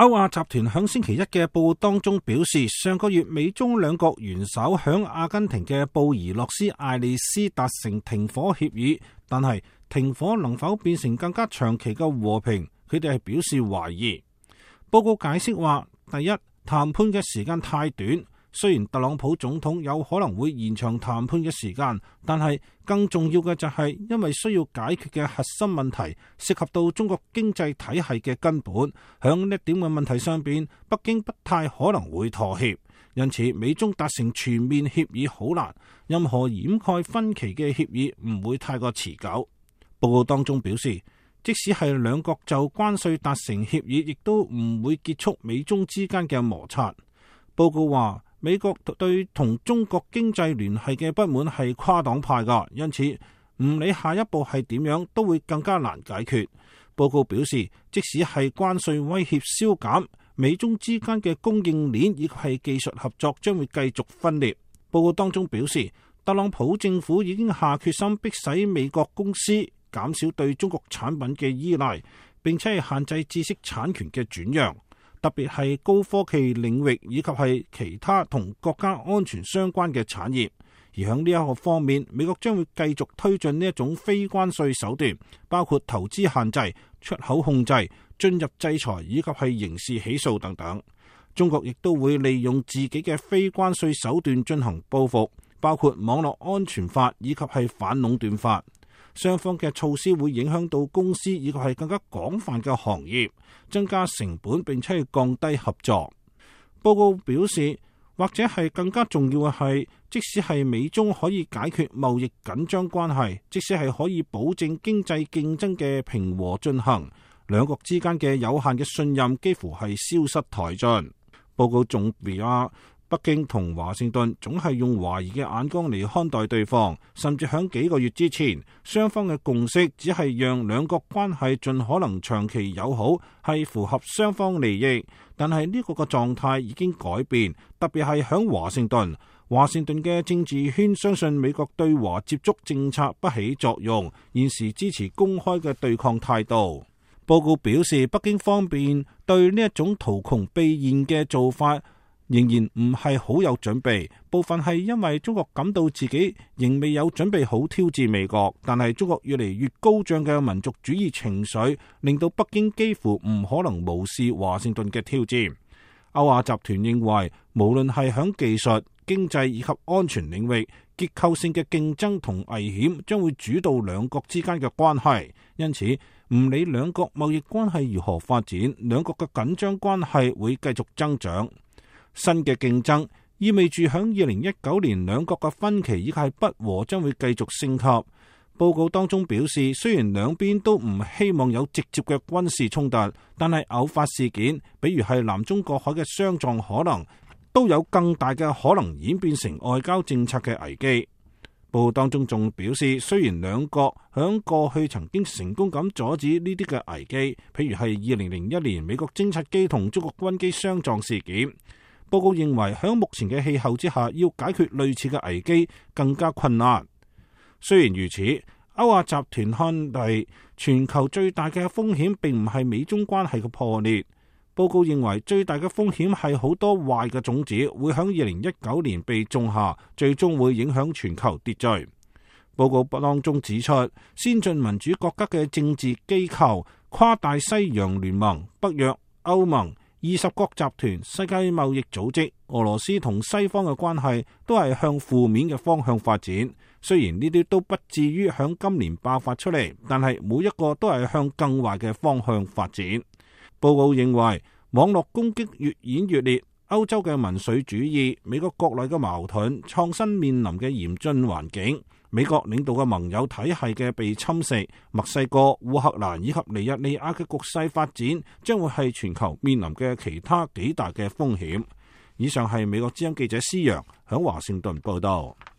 歐亞集團響星期一嘅報告當中表示，上個月美中兩國元首響阿根廷嘅布宜諾斯艾利斯達成停火協議，但係停火能否變成更加長期嘅和平，佢哋係表示懷疑。報告解釋話，第一，談判嘅時間太短，雖然特朗普總統有可能會延長談判嘅時間，但係更重要嘅就係因為需要解決嘅核心問題涉及到中國經濟體系嘅根本，響呢點嘅問題上邊，北京不太可能會妥協，因此美中達成全面協議好難，任何掩蓋分歧嘅協議唔會太過持久。報告當中表示，即使係兩國就關稅達成協議，亦都唔會結束美中之間嘅摩擦。報告話，美國對同中國經濟聯繫嘅不滿係跨黨派㗎，因此唔理下一步係點樣，都會更加難解決。報告表示，即使係關稅威脅消減，美中之間嘅供應鏈以及係技術合作將會繼續分裂。報告當中表示，特朗普政府已經下決心迫使美國公司減少對中國產品嘅依賴，並且係限制知識產權嘅轉讓，特別係高科技領域以及係其他同國家安全相關嘅產業。而喺呢一個方面，美國將會繼續推進呢一種非關稅手段，包括投資限制、出口控制、進入制裁以及係刑事起訴等等。中國亦都會利用自己嘅非關稅手段進行報復，包括網絡安全法以及係反壟斷法。雙方嘅措施會影響到公司以及係更加廣泛嘅行業，增加成本並且係降低合作。報告表示，或者係更加重要嘅係，即使係美中可以解決貿易緊張關係，即使係可以保證經濟競爭嘅平和進行，兩國之間嘅有限嘅信任幾乎係消失殆盡。報告仲話，北京同華盛頓總係用懷疑嘅眼光嚟看待對方，甚至響幾個月之前，雙方嘅共識只係讓兩國關係盡可能長期友好，係符合雙方利益。但係呢個嘅狀態已經改變，特別係響華盛頓。華盛頓嘅政治圈相信美國對華接觸政策不起作用，現時支持公開嘅對抗態度。報告表示，北京方面對呢一種圖窮匕現嘅做法仍然唔係好有準備，部分係因為中國感到自己仍未有準備好挑戰美國，但係中國越嚟越高漲嘅民族主義情緒，令到北京幾乎唔可能無視華盛頓嘅挑戰。歐亞集團認為，無論係響技術、經濟以及安全領域，結構性嘅競爭同危險將會主導兩國之間嘅關係，因此唔理兩國貿易關係如何發展，兩國嘅緊張關係會繼續增長。新嘅競爭意味住響2019年兩國嘅分歧以及係不和將會繼續升級。報告當中表示，雖然兩邊都唔希望有直接嘅軍事衝突，但係偶發事件，比如係南中國海嘅相撞可能，都有更大嘅可能演變成外交政策嘅危機。報告當中仲表示，雖然兩國響過去曾經成功咁阻止呢啲嘅危機，譬如係2001年美國偵察機同中國軍機相撞事件。報告認為，響目前嘅氣候之下，要解決類似嘅危機更加困難。雖然如此，歐亞集團看嚟，全球最大嘅風險並唔係美中關係嘅破裂。報告認為，最大嘅風險係好多壞嘅種子會響2019年被種下，最終會影響全球秩序。報告當中指出，先進民主國家嘅政治機構、跨大西洋聯盟、北約、歐盟、20國集團、世界貿易組織、俄羅斯同西方嘅關係都係向負面嘅方向發展。雖然呢啲都不至於響今年爆發出嚟，但係每一個都係向更壞嘅方向發展。報告認為，網絡攻擊越演越烈，歐洲嘅民粹主義、美國國內嘅矛盾、創新面臨嘅嚴峻環境、美國領導嘅盟友體系嘅被侵蝕、墨西哥、烏克蘭以及尼日利亞嘅局勢發展，將會係全球面臨嘅其他幾大嘅風險。以上係美國之音記者施洋響華盛頓報道。